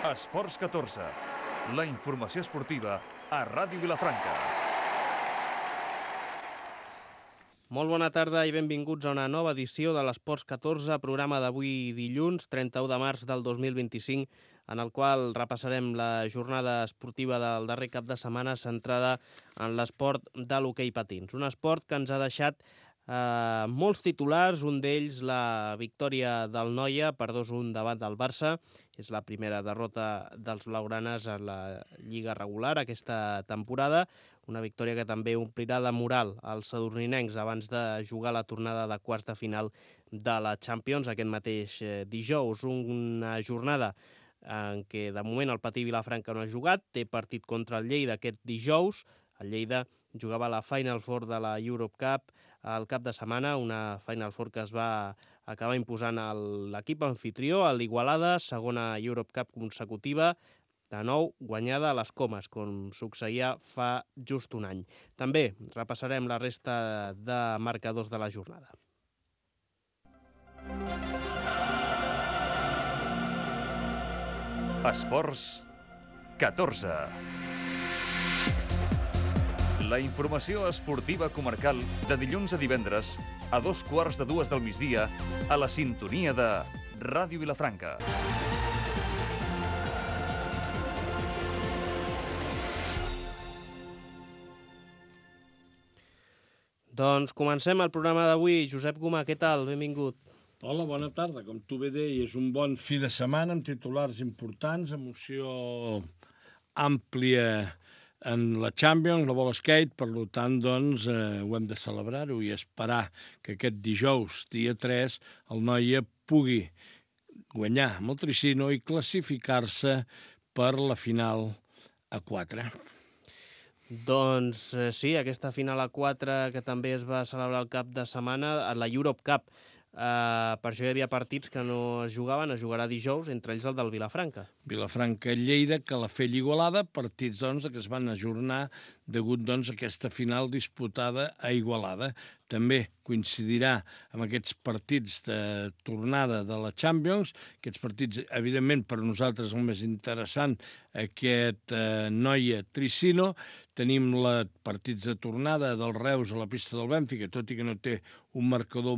Esports 14, la informació esportiva a Ràdio Vilafranca. Molt bona tarda i benvinguts a una nova edició de l'Esports 14, programa d'avui dilluns, 31 de març del 2025, en el qual repassarem la jornada esportiva del darrer cap de setmana centrada en l'esport de l'hoquei patins. Un esport que ens ha deixat molts titulars, un d'ells la victòria del Noia per 2-1 davant del Barça. És la primera derrota dels blaugranes en la Lliga regular aquesta temporada, una victòria que també omplirà de moral als sadurninencs abans de jugar la tornada de quarts de final de la Champions aquest mateix dijous. Una jornada en què de moment el Patí Vilafranca no ha jugat, té partit contra el Lleida aquest dijous. El Lleida jugava la Final Four de la Europe Cup al cap de setmana, una Final Four que es va acabar imposant l'equip anfitrió, a l'Igualada, segona Europe Cup consecutiva, de nou guanyada a les Comes, com succeïa fa just un any. També repassarem la resta de marcadors de la jornada. Esports 14. La informació esportiva comarcal de dilluns a divendres a 2:15 del migdia a la sintonia de Ràdio Vilafranca. Doncs comencem el programa d'avui. Josep Gomà, què tal? Benvingut. Hola, bona tarda. Com tu bé deies, un bon fi de setmana amb titulars importants, emoció àmplia en la Champions, la bola skate, per tant, doncs, ho hem de celebrar-ho i esperar que aquest dijous, dia 3, el Noia pugui guanyar amb el Tricino i classificar-se per la final a 4. Doncs sí, aquesta final a 4 que també es va celebrar el cap de setmana a la Europe Cup. Per això hi havia partits que no es jugaven, es jugarà dijous, entre ells el del Vilafranca. Vilafranca-Lleida, Calafell-Igualada, partits doncs, que es van ajornar degut doncs, a aquesta final disputada a Igualada. També coincidirà amb aquests partits de tornada de la Champions, aquests partits, evidentment, per nosaltres el més interessant, aquest Noia Tricino. Tenim partits de tornada del Reus a la pista del Bènfica, tot i que no té un marcador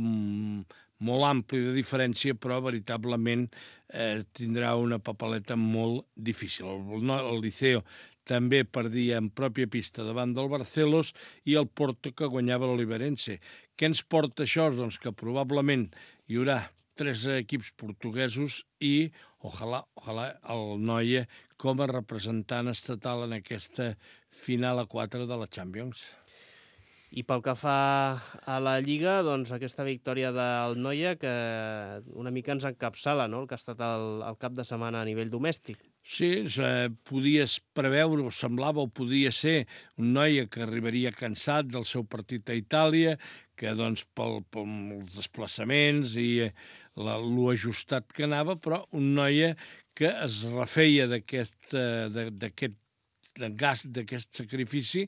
molt ampli de diferència, però veritablement tindrà una papeleta molt difícil. El Liceo també perdia en pròpia pista davant del Barcelos i el Porto que guanyava l'Oliverense. Què ens porta això? Doncs que probablement hi haurà 3 equips portuguesos i ojalà el Noia com a representant estatal en aquesta final a 4 de la Champions. I pel que fa a la Lliga, doncs aquesta victòria del Noia que una mica ens encapçala, no?, el que ha estat el cap de setmana a nivell domèstic. Sí, podies preveure, o semblava, o podia ser un Noia que arribaria cansat del seu partit a Itàlia, que doncs pels desplaçaments i l'ajustat que anava, però un Noia que es refeia d'aquest sacrifici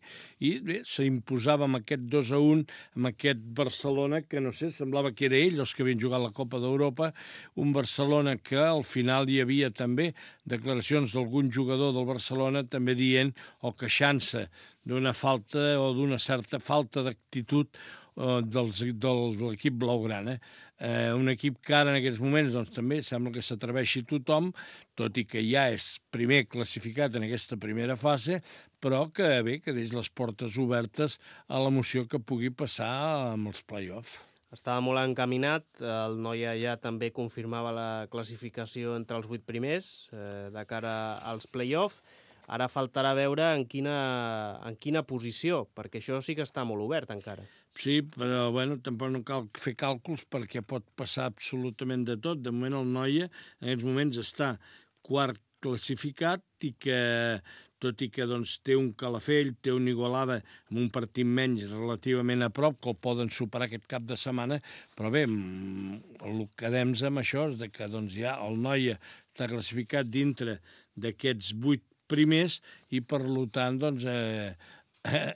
i bé, s'imposava amb aquest 2-1 amb aquest Barcelona que, no sé, semblava que era ell els que havien jugat la Copa d'Europa, un Barcelona que al final hi havia també declaracions d'algun jugador del Barcelona també dient o queixant-se d'una falta o d'una certa falta d'actitud de l'equip blaugrana. Un equip que ara en aquests moments doncs, també sembla que s'atreveixi tothom, tot i que ja és primer classificat en aquesta primera fase, però que bé, que deix les portes obertes a l'emoció que pugui passar amb els play-offs. Estava molt encaminat, el Noia ja també confirmava la classificació entre els 8 primers de cara als play-offs. Ara faltarà veure en quina posició, perquè això sí que està molt obert encara. Sí, però bueno, tampoc no cal fer càlculs perquè pot passar absolutament de tot. De moment el Noia en aquests moments està quart classificat i que tot i que doncs, té un Calafell, té un Igualada amb un partit menys relativament a prop, que el poden superar aquest cap de setmana, però bé, el que quedem amb això és que doncs, ja el Noia està classificat dintre d'aquests 8 primers i per tant doncs,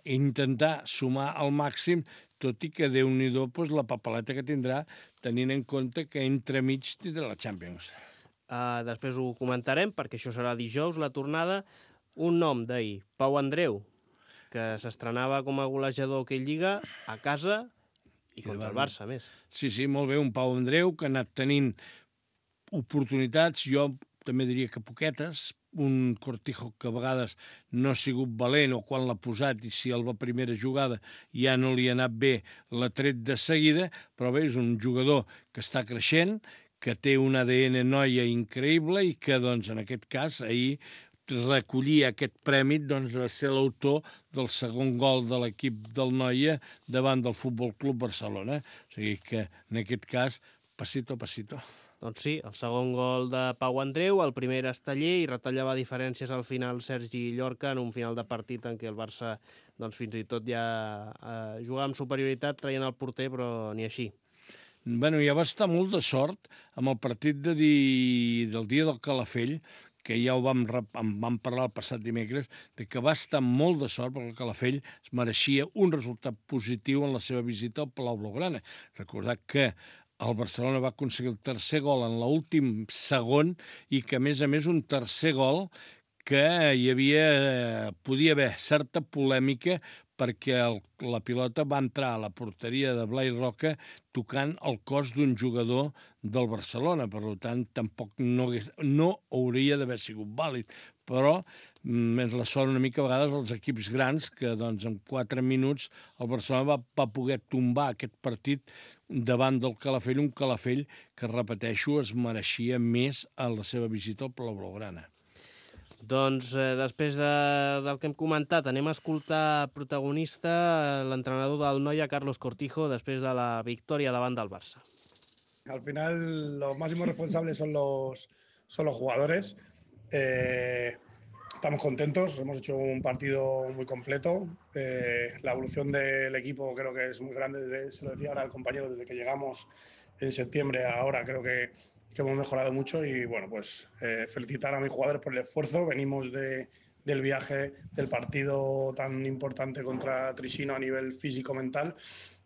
intentar sumar al màxim, tot i que Déu-n'hi-do la papeleta que tindrà tenint en compte que entremig tindrà la Champions. després ho comentarem, perquè això serà dijous, la tornada. Un nom d'ahir, Pau Andreu, que s'estrenava com a golejador aquell Lliga a casa i contra el Barça, a més. Sí, molt bé, un Pau Andreu que ha anat tenint oportunitats, jo també diria que poquetes, un Cortijo que a vegades no ha sigut valent o quan l'ha posat i si a la primera jugada ja no li ha anat bé l'ha tret de seguida, però bé, és un jugador que està creixent, que té un ADN noia increïble i que, doncs, en aquest cas, ahir recollia aquest premi doncs, de ser l'autor del segon gol de l'equip del Noia davant del Futbol Club Barcelona. O sigui que, en aquest cas, pasito a pasito. Doncs sí, el segon gol de Pau Andreu, el primer era Esteller i retallava diferències al final Sergi Llorca en un final de partit en què el Barça doncs, fins i tot ja jugava amb superioritat traient el porter, però ni així. Bueno, ja va estar molt de sort amb el partit del dia del Calafell, que ja en vam parlar el passat dimecres, de que va estar molt de sort perquè el Calafell es mereixia un resultat positiu en la seva visita al Palau Blaugrana. Recordar que el Barcelona va aconseguir el tercer gol en l'últim segon i que, a més, un tercer gol que podia haver certa polèmica perquè la pilota va entrar a la porteria de Blai Roca tocant el cos d'un jugador del Barcelona. Per tant, tampoc no hauria d'haver sigut vàlid. Però ens la sort una mica a vegades els equips grans que doncs, en 4 minuts el Barcelona va poder tombar aquest partit davant del Calafell, un Calafell que, repeteixo, es mereixia més a la seva visita al Palau Blaugrana. Doncs després del que hem comentat, anem a escoltar protagonista l'entrenador del Noia, Carlos Cortijo, després de la victòria davant del Barça. Al final los máximos responsables son los jugadores. Estamos contentos, hemos hecho un partido muy completo. La evolución del equipo creo que es muy grande, se lo decía ahora al compañero, desde que llegamos en septiembre a ahora creo que hemos mejorado mucho y bueno, pues felicitar a mis jugadores por el esfuerzo. Venimos del viaje, del partido tan importante contra Trishino a nivel físico-mental.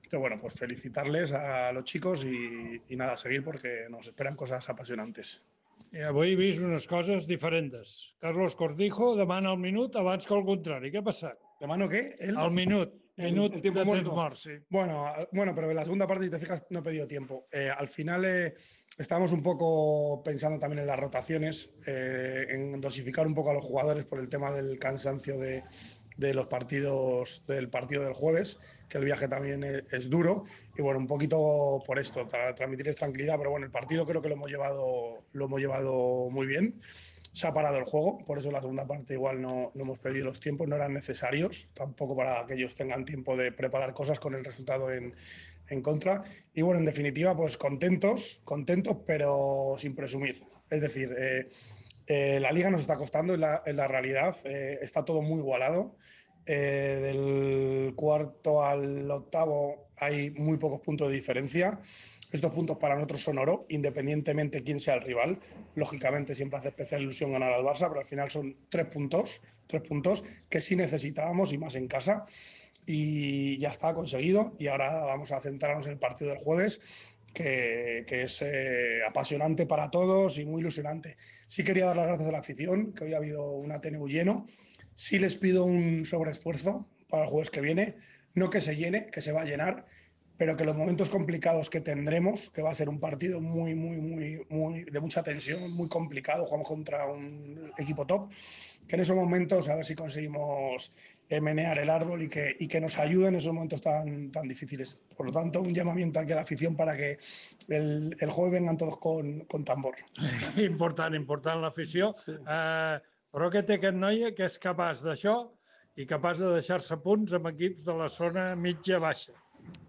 Entonces, bueno, pues felicitarles a los chicos y nada, seguir porque nos esperan cosas apasionantes. Avui he vist unes coses diferents. Carlos Cortijo demana el minut abans que el contrari. Què ha passat? ¿Demano qué? El minut. Minut el tiempo de muerto. temps morts, sí. Bueno, pero en la segunda parte, si te fijas, no he pedido tiempo. Al final estábamos un poco pensando también en las rotaciones, en dosificar un poco a los jugadores por el tema del cansancio de los partidos, del partido del jueves, que el viaje también es duro. Y bueno, un poquito por esto, para transmitirles tranquilidad. Pero bueno, el partido creo que lo hemos llevado muy bien. Se ha parado el juego, por eso en la segunda parte igual no hemos pedido los tiempos, no eran necesarios, tampoco para que ellos tengan tiempo de preparar cosas con el resultado en contra. Y bueno, en definitiva, pues contentos, pero sin presumir. Es decir, la Liga nos está costando, en la realidad, está todo muy igualado. Del cuarto al octavo hay muy pocos puntos de diferencia. Estos puntos para nosotros son oro, independientemente quién sea el rival. Lógicamente siempre hace especial ilusión ganar al Barça, pero al final son 3 puntos que sí necesitábamos y más en casa. Y ya está conseguido. Y ahora vamos a centrarnos en el partido del jueves, que es apasionante para todos y muy ilusionante. Sí quería dar las gracias a la afición, que hoy ha habido un Ateneu lleno. Sí les pido un sobreesfuerzo para el jueves que viene. No que se llene, que se va a llenar, pero que los momentos complicados que tendremos, que va a ser un partido muy de mucha tensión, muy complicado, jugamos contra un equipo top, que en esos momentos a ver si conseguimos menear el árbol y que nos ayude en esos momentos tan difíciles. Por lo tanto, un llamamiento aquí a la afición para que el jueves vengan todos con tambor. Important l'afició. Sí. Però què té aquest noi que és capaç d'això i capaç de deixar-se punts amb equips de la zona mitja-baixa?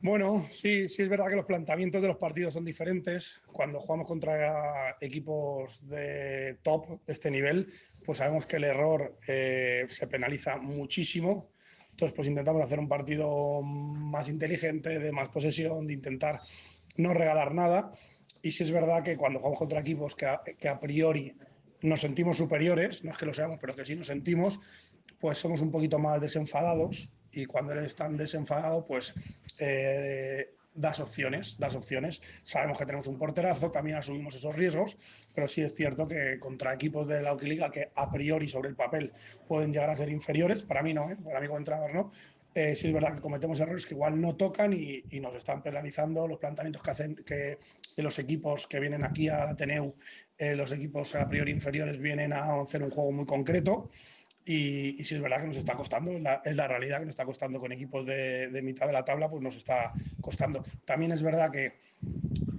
Bueno, sí es verdad que los planteamientos de los partidos son diferentes. Cuando jugamos contra equipos de top de este nivel, pues sabemos que el error se penaliza muchísimo. Entonces, pues intentamos hacer un partido más inteligente, de más posesión, de intentar no regalar nada. Y sí es verdad que cuando jugamos contra equipos que a priori nos sentimos superiores, no es que lo seamos, pero que sí nos sentimos, pues somos un poquito más desenfadados. Y cuando eres tan desenfadado, pues das opciones. Sabemos que tenemos un porterazo, también asumimos esos riesgos, pero sí es cierto que contra equipos de la Liga que a priori sobre el papel pueden llegar a ser inferiores, para mí no, para mí como entrenador no, sí es verdad que cometemos errores que igual no tocan y nos están penalizando los planteamientos que hacen de los equipos que vienen aquí al Ateneu, los equipos a priori inferiores vienen a hacer un juego muy concreto. Y sí es verdad que nos está costando, es la realidad que nos está costando con equipos de mitad de la tabla, pues nos está costando. También es verdad que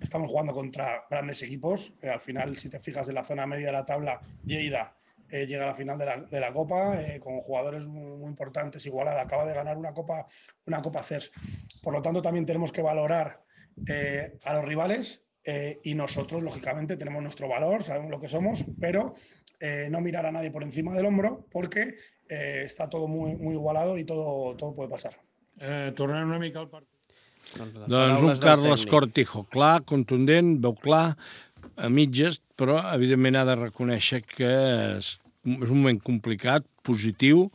estamos jugando contra grandes equipos. Al final, si te fijas en la zona media de la tabla, Lleida llega a la final de la Copa con jugadores muy importantes. Igualada acaba de ganar una Copa CERS. Por lo tanto, también tenemos que valorar a los rivales y nosotros, lógicamente, tenemos nuestro valor, sabemos lo que somos, pero no mirar a nadie por encima del hombro porque està tot muy igualado i tot puede passar. Tornant una mica al partit. Doncs un Carles Cortijo clar, contundent, veu clar, a mitges, però evidentment ha de reconèixer que és un moment complicat, positiu,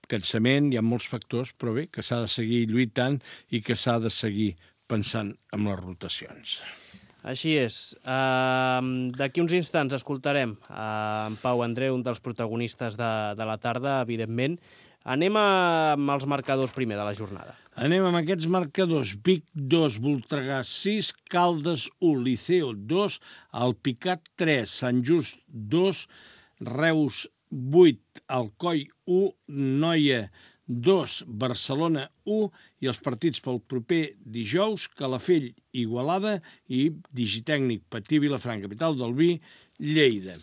cansament, hi ha molts factors, però bé, que s'ha de seguir lluitant i que s'ha de seguir pensant en les rotacions. Així és. D'aquí uns instants escoltarem en Pau Andreu, un dels protagonistes de la tarda, evidentment. Anem amb els marcadors primer de la jornada. Anem amb aquests marcadors. Vic 2, Voltregà 6, Caldes 1, Liceo 2, Alpicat 3, Sant Just 2, Reus 8, Alcoi 1, Noia 2, Barcelona 1 i els partits pel proper dijous, Calafell, Igualada i Digitècnic, Patí, Vilafranca, capital del vi, Lleida.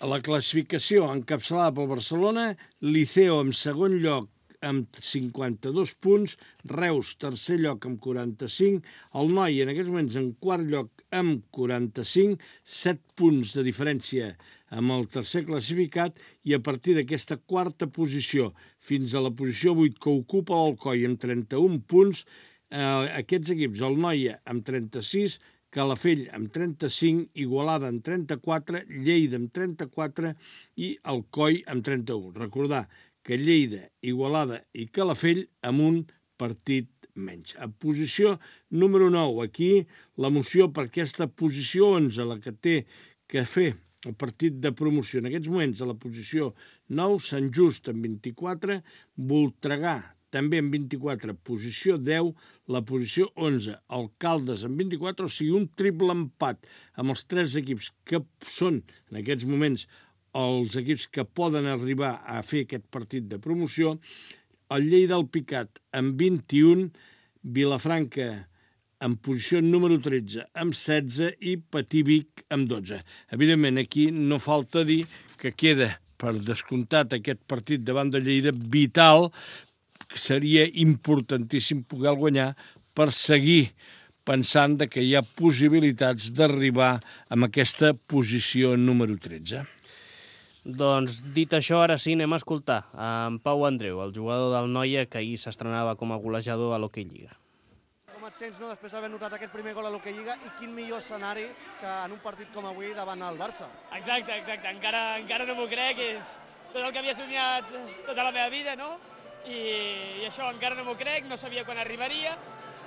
A la classificació encapçalada pel Barcelona, Liceo en segon lloc amb 52 punts, Reus tercer lloc amb 45, el Noi en aquests moments en quart lloc amb 45, 7 punts de diferència amb el tercer classificat i a partir d'aquesta quarta posició fins a la posició 8 que ocupa l'Alcoi amb 31 punts, aquests equips, el Noia amb 36, Calafell amb 35, Igualada amb 34, Lleida amb 34 i Alcoi amb 31. Recordar que Lleida, Igualada i Calafell amb un partit menys. A posició número 9, aquí la moció per aquesta posició 11, la que té que fer el partit de promoció. En aquests moments, a la posició 9, Sant Just amb 24, Voltregà també amb 24, posició 10, la posició 11, Alcaldes amb 24, o sigui, un triple empat amb els 3 equips que són, en aquests moments, els equips que poden arribar a fer aquest partit de promoció, el Lleida Alpicat amb 21, Vilafranca en posició número 13 amb 16 i Patí Vic amb 12. Evidentment, aquí no falta dir que queda per descomptat aquest partit davant de Lleida vital, que seria importantíssim poder guanyar per seguir pensant que hi ha possibilitats d'arribar a aquesta posició número 13. Doncs, dit això, ara sí anem a escoltar en Pau Andreu, el jugador del Noia que ahir s'estrenava com a golejador a l'Hockey Lliga. Com et sents, no, després d'haver notat aquest primer gol a l'Hockey Lliga i quin millor escenari que en un partit com avui davant el Barça? Exacte. Encara no m'ho crec, és tot el que havia somiat tota la meva vida, no? I això encara no m'ho crec, no sabia quan arribaria,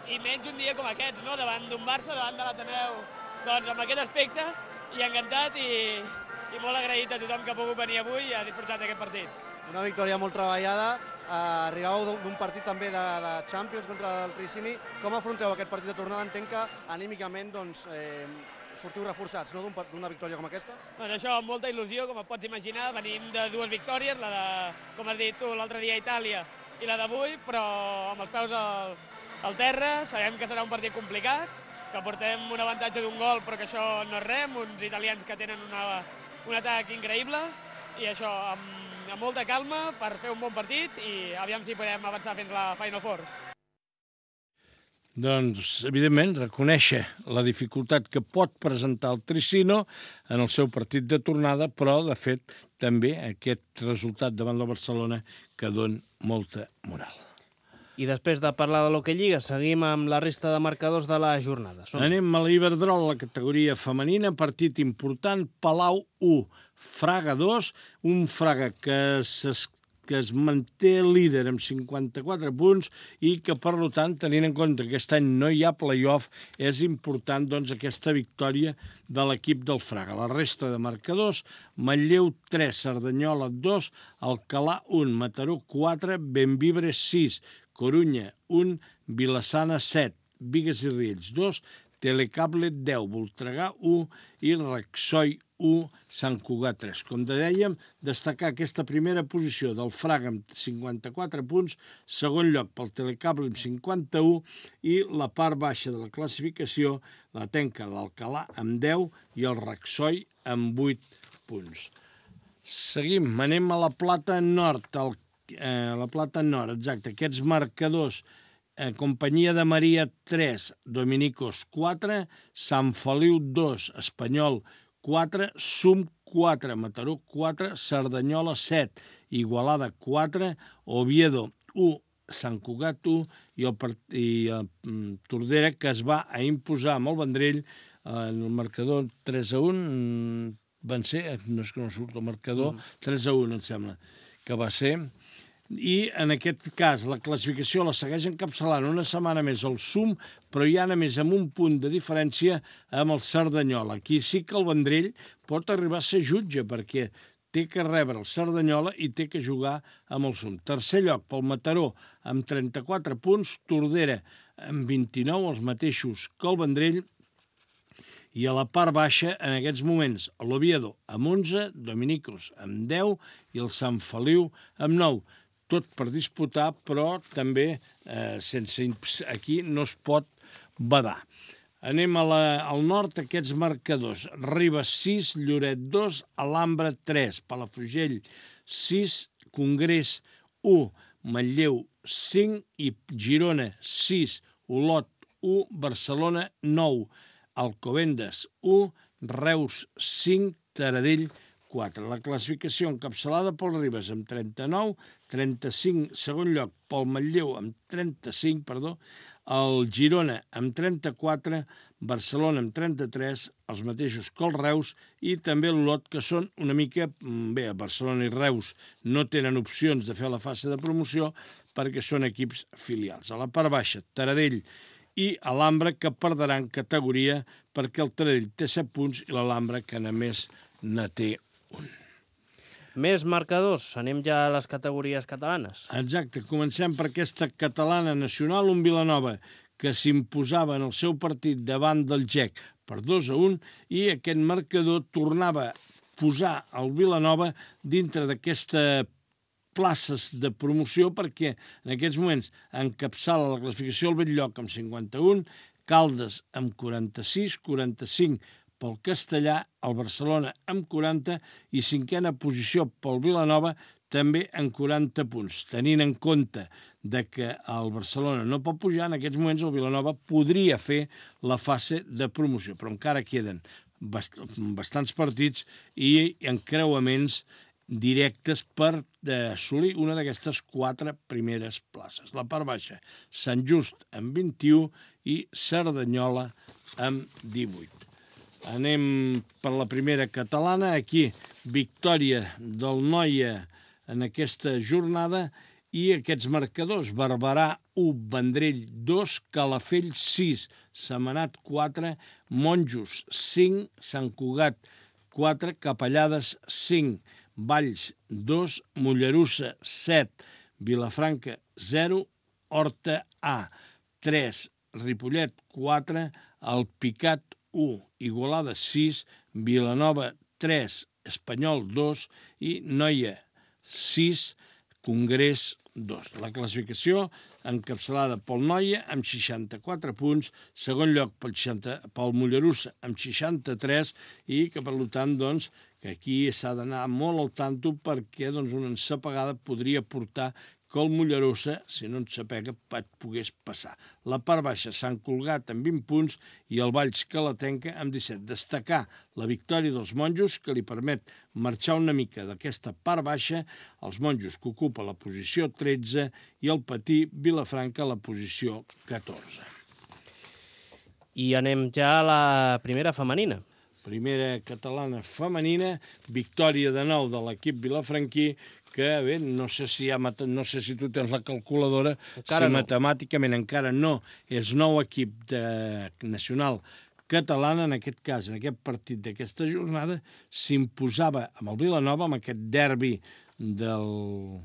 i menys un dia com aquest, no? Davant d'un Barça, davant de l'Ateneu, doncs amb aquest aspecte, i encantat i molt agraït a tothom que ha pogut venir avui i ha disfrutat d'aquest partit. Una victòria molt treballada, arribàveu d'un partit també de Champions contra el Tricini. Com afronteu aquest partit de tornada? Entenc que anímicament sortiu reforçats, no, d'una victòria com aquesta? Bueno, això amb molta il·lusió, com et pots imaginar, venim de 2 victòries, la de, com has dit tu, l'altre dia a Itàlia i la d'avui, però amb els peus al terra, sabem que serà un partit complicat, que portem un avantatge d'un gol, però que això no és res, uns italians que tenen un atac increïble, i això amb molta calma per fer un bon partit i aviam si podem avançar fins a la Final Four. Doncs, evidentment, reconèixer la dificultat que pot presentar el Tricino en el seu partit de tornada, però, de fet, també aquest resultat davant la Barcelona que dona molta moral. I després de parlar de l'Hockey Lliga, seguim amb la resta de marcadors de la jornada. Anem a l'Iberdrola, la categoria femenina, partit important, Palau 1, Fraga 2, un Fraga que que es manté líder amb 54 punts i que, per tant, tenint en compte que aquest any no hi ha play-off, és important doncs, aquesta victòria de l'equip del Fraga. La resta de marcadors, Manlleu 3, Cerdanyola 2, Alcalà 1, Mataró 4, Bembibre 6, Corunya 1, Vilassana 7, Bigues i Riells 2, Telecable 10, Voltregà 1 i Rexoi 1, Sant Cugat 3. Com dèiem, destacar aquesta primera posició del Fraga amb 54 punts, segon lloc pel Telecable amb 51 i la part baixa de la classificació la tenca l'Alcalà amb 10 i el Rexoi amb 8 punts. Seguim, anem a la Plata Nord, la Plata Nord, exacte, aquests marcadors. Companyia de Maria 3, Dominicos 4, Sant Feliu 2, Espanyol 4, Sum 4, Mataró 4, Cerdanyola 7, Igualada 4, Oviedo 1, Sant Cugat 1 i el Tordera, que es va a imposar amb el Vendrell en el marcador 3-1, van ser, no és que no surt el marcador, 3-1 em sembla que va ser. I en aquest cas la classificació la segueix encapçalant una setmana més el Sum, però ja només amb un punt de diferència amb el Cerdanyola. Aquí sí que el Vendrell pot arribar a ser jutge perquè té que rebre el Cerdanyola i té que jugar amb el Sum. Tercer lloc pel Mataró amb 34 punts, Tordera amb 29, els mateixos que el Vendrell, i a la part baixa, en aquests moments, l'Oviedo amb 11, Dominicos amb 10 i el Sant Feliu amb 9. Tot per disputar, però també aquí no es pot badar. Anem al nord, aquests marcadors. Ribes 6, Lloret 2, Alhambra 3, Palafrugell 6, Congrés 1, Manlleu 5 i Girona 6, Olot 1, Barcelona 9, Alcobendas 1, Reus 5, Taradell 4. La classificació encapçalada pel Ribes amb 39, 35, segon lloc pel Manlleu amb 35, el Girona amb 34, Barcelona amb 33, els mateixos que el Reus, i també l'Olot, que són una mica... Bé, Barcelona i Reus no tenen opcions de fer la fase de promoció perquè són equips filials. A la part baixa, Taradell i Alhambra, que perdran categoria perquè el Taradell té 7 punts i l'Alhambra, que només ne té un. Més marcadors, anem ja a les categories catalanes. Exacte, comencem per aquesta catalana nacional, un Vilanova que s'imposava en el seu partit davant del GEC per 2-1 i aquest marcador tornava a posar el Vilanova dintre d'aquesta places de promoció perquè en aquests moments encapçala la classificació al Belllloc amb 51, Caldes amb 46, 45 pel Castellà, el Barcelona amb 40 i cinquena posició pel Vilanova també amb 40 punts. Tenint en compte que el Barcelona no pot pujar, en aquests moments el Vilanova podria fer la fase de promoció, però encara queden bastants partits i encreuaments directes per assolir una d'aquestes 4 primeres places. La part baixa, Sant Just amb 21 i Cerdanyola amb 18. Anem per la primera catalana. Aquí, victòria del Noia en aquesta jornada i aquests marcadors. Barberà 1, Vendrell 2, Calafell 6, Sentmenat 4, Monjos 5, Sant Cugat 4, Capellades 5, Valls 2, Mollerussa 7, Vilafranca 0, Horta A 3, Ripollet 4, Alpicat 1, Igualada 6, Vilanova 3, Espanyol 2 i Noia 6, Congrés 2. La classificació encapçalada pel Noia amb 64 punts, segon lloc pel Mollerussa amb 63 i que per tant doncs, que aquí s'ha d'anar molt al tanto perquè doncs, una ensapegada podria portar que el Mollerussa, si no ensapega, et pogués passar. La part baixa, Sant Cugat amb 20 punts i el Valls que la tenca amb 17. Destacar la victòria dels Monjos, que li permet marxar una mica d'aquesta part baixa, els Monjos que ocupa la posició 13 i el Patí Vilafranca la posició 14. I anem ja a la primera femenina. primera catalana femenina, victòria de nou de l'equip vilafranquí, que bé, no sé si tu tens la calculadora, Encara si no. matemàticament encara no, és nou equip nacional catalana, en aquest cas, en aquest partit d'aquesta jornada, s'imposava amb el Vilanova, amb aquest derbi del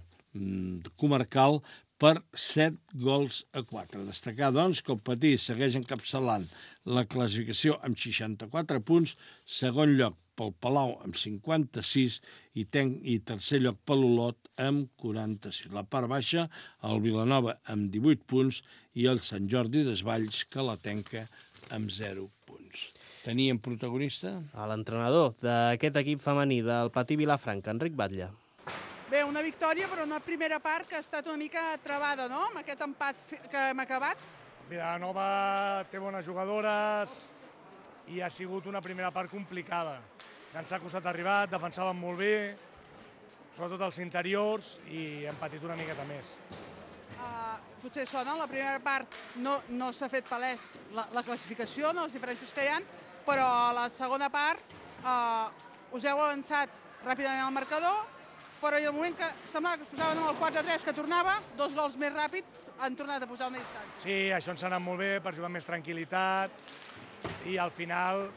comarcal, per 7-4. Destacar, doncs, que el Patí segueix encapçalant la classificació amb 64 punts, segon lloc pel Palau amb 56 i tercer lloc per l'Olot amb 46. La part baixa, el Vilanova amb 18 punts i el Sant Jordi Desvalls, que la tanca amb 0 punts. Teníem protagonista? A l'entrenador d'aquest equip femení del Patí Vilafranca, Enric Batlle. Bé, una victòria, però una primera part que ha estat una mica travada, no?, amb aquest empat que hem acabat. Vilanova té bones jugadores i ha sigut una primera part complicada. Ens ha costat arribar, defensaven molt bé, sobretot els interiors, i hem patit una miqueta més. Potser això, no?, la primera part no s'ha fet palès la classificació, no?, les diferències que hi ha, però a la segona part us heu avançat ràpidament al marcador, però en el moment que semblava que es posaven el 4-3 que tornava, 2 gols més ràpids han tornat a posar una distància. Sí, això ens ha anat molt bé per jugar amb més tranquil·litat i al final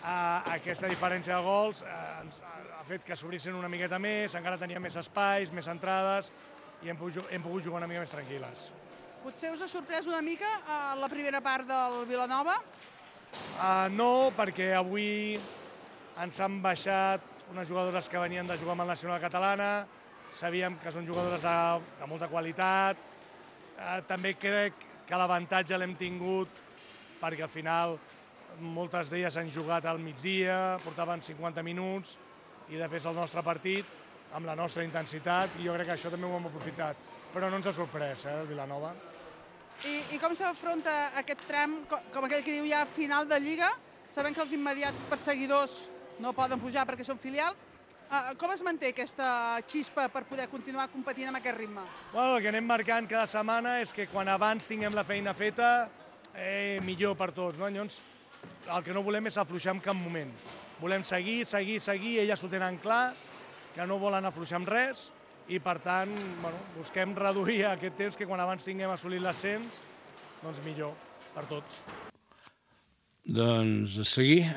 aquesta diferència de gols ha fet que s'obrissin una miqueta més, encara teníem més espais, més entrades i hem pogut jugar una mica més tranquil·les. Potser us ha sorprès una mica la primera part del Vilanova? No, perquè avui ens han baixat unes jugadores que venien de jugar amb el Nacional Catalana, sabíem que són jugadores de molta qualitat, també crec que l'avantatge l'hem tingut perquè al final moltes d'elles han jugat al migdia, portaven 50 minuts i després el nostre partit amb la nostra intensitat i jo crec que això també ho hem aprofitat, però no ens ha sorprès el Vilanova. I com s'afronta aquest tram, com aquell que diu ja final de Lliga, sabent que els immediats perseguidors no poden pujar perquè són filials. Com es manté aquesta xispa per poder continuar competint amb aquest ritme? El que anem marcant cada setmana és que quan abans tinguem la feina feta, millor per tots. Llavors, el que no volem és afluixar en cap moment. Volem seguir, elles ho tenen clar, que no volen afluixar amb res, i per tant busquem reduir aquest temps que quan abans tinguem assolit l'ascens, doncs millor per tots. Doncs a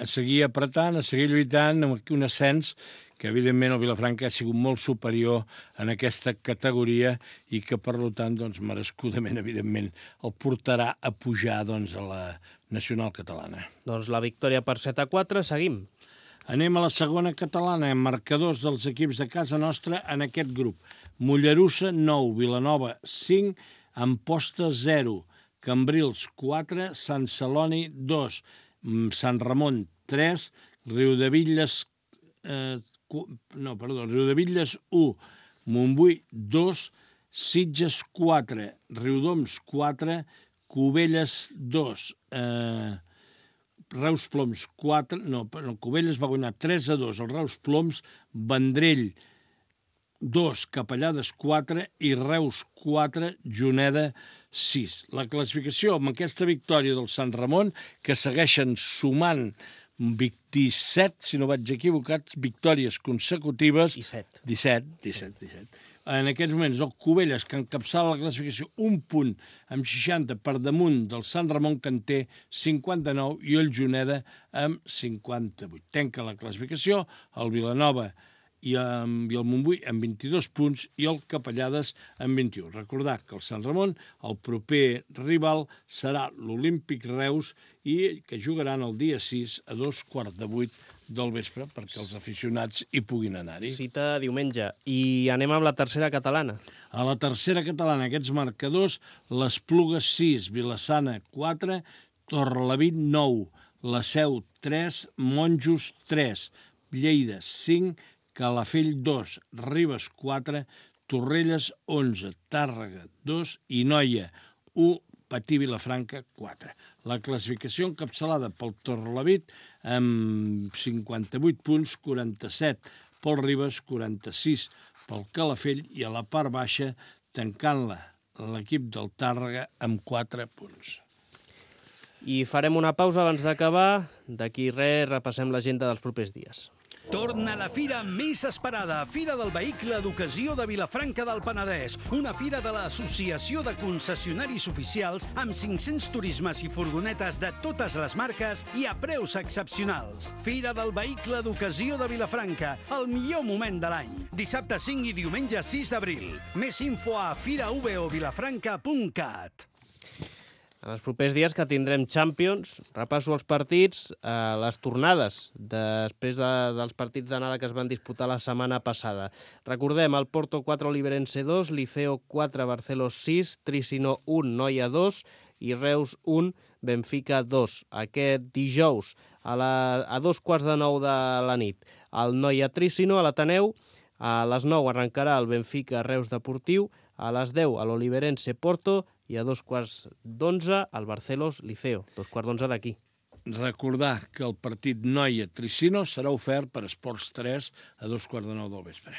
seguir apretant, a seguir lluitant amb un ascens que evidentment el Vilafranca ha sigut molt superior en aquesta categoria i que per tant merescudament evidentment el portarà a pujar a la nacional catalana. Doncs la victòria per 7-4, seguim. Anem a la segona catalana, amb marcadors dels equips de casa nostra en aquest grup. Mollerussa 9, Vilanova 5, Amposta 0, Cambrils 4, Sant Celoni 2, Sant Ramon 3, Riudebitlles 1, Montbui 2, Sitges 4, Riudoms 4, Cubelles 2, Reus Ploms 4, Cubelles va guanyar 3-2 al Reus Ploms, Vendrell 2, Capellades 4 i Reus 4, Juneda 6. La classificació amb aquesta victòria del Sant Ramon, que segueixen sumant 27, si no vaig equivocat, victòries consecutives. 17. En aquests moments, el Cubelles, que encapçala la classificació un punt amb 60 per damunt del Sant Ramon, que en té 59, i el Juneda amb 58. Tanca la classificació el Vilanova i el Montbui amb 22 punts i el Capellades amb 21. Recordar que el Sant Ramon, el proper rival, serà l'Olímpic Reus i que jugaran el dia 6 a 7:15 del vespre perquè els aficionats hi puguin anar-hi. Cita diumenge. I anem amb la tercera catalana. A la tercera catalana, aquests marcadors, les Plugues 6, Vilassana 4, Torrelavit 9, La Seu 3, Monjos 3, Lleida 5, Calafell 2, Ribes 4, Torrelles 11, Tàrrega 2 i Noia 1, Patí Vilafranca 4. La classificació encapçalada pel Torrelavit amb 58 punts, 47 pel Ribes, 46 pel Calafell i a la part baixa tancant-la l'equip del Tàrrega amb 4 punts. I farem una pausa abans d'acabar. D'aquí res, repassem l'agenda dels propers dies. Torna la fira més esperada, Fira del Vehicle d'Ocasió de Vilafranca del Penedès, una fira de l'Associació de Concessionaris Oficials amb 500 turismes i furgonetes de totes les marques i a preus excepcionals. Fira del Vehicle d'Ocasió de Vilafranca, el millor moment de l'any. Dissabte 5 i diumenge 6 d'abril. Més info a firavvilafranca.cat. En els propers dies que tindrem Champions, repasso els partits, les tornades, després dels partits d'anada que es van disputar la setmana passada. Recordem, el Porto 4, Oliverense 2, Liceo 4, Barcelos 6, Tricino 1, Noia 2 i Reus 1, Benfica 2. Aquest dijous, a 2:15 de la nit, el Noia Tricino a l'Ateneu, a les 9 arrencarà el Benfica Reus Deportiu, a les 10 a l'Oliverense Porto i a 2:15 al Barcelos Liceo, 2:15 d'aquí. Recordar que el partit Noia-Tricino serà ofert per Esports 3 a 2:15 del vespre.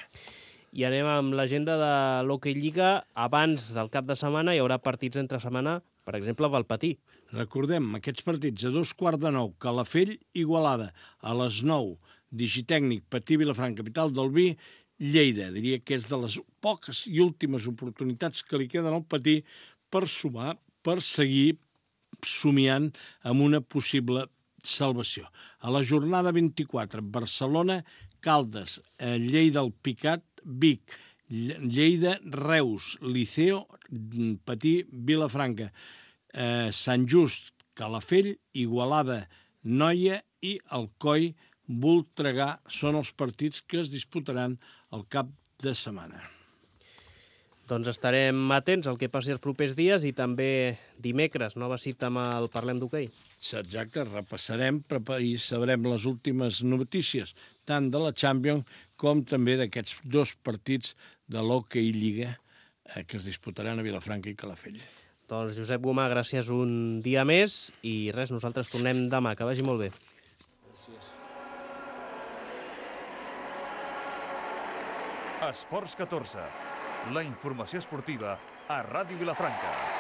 I anem amb l'agenda de l'Hockey Lliga. Abans del cap de setmana hi haurà partits entre setmana, per exemple, a Valpatí. Recordem, aquests partits a 2:15, Calafell, Igualada, a les 9, Digitècnic, Patí, Vilafranca, capital del vi, Lleida. Diria que és de les poques i últimes oportunitats que li queden al Patí per sumar, per seguir somiant amb una possible salvació. A la jornada 24, Barcelona, Caldes, Lleida, el Picat, Vic, Lleida, Reus, Liceo, Patí, Vilafranca, Sant Just, Calafell, Igualada, Noia i Alcoi, Voltregà són els partits que es disputaran al cap de setmana. Doncs estarem atents al que passi els propers dies i també dimecres, nova cita amb el Parlem d'Hoquei. Exacte, repassarem i sabrem les últimes notícies, tant de la Champions com també d'aquests dos partits de l'Hockey Lliga que es disputaran a Vilafranca i Calafell. Doncs Josep Gomà, gràcies un dia més i res, nosaltres tornem demà. Que vagi molt bé. Esports 14, la informació esportiva a Ràdio Vilafranca.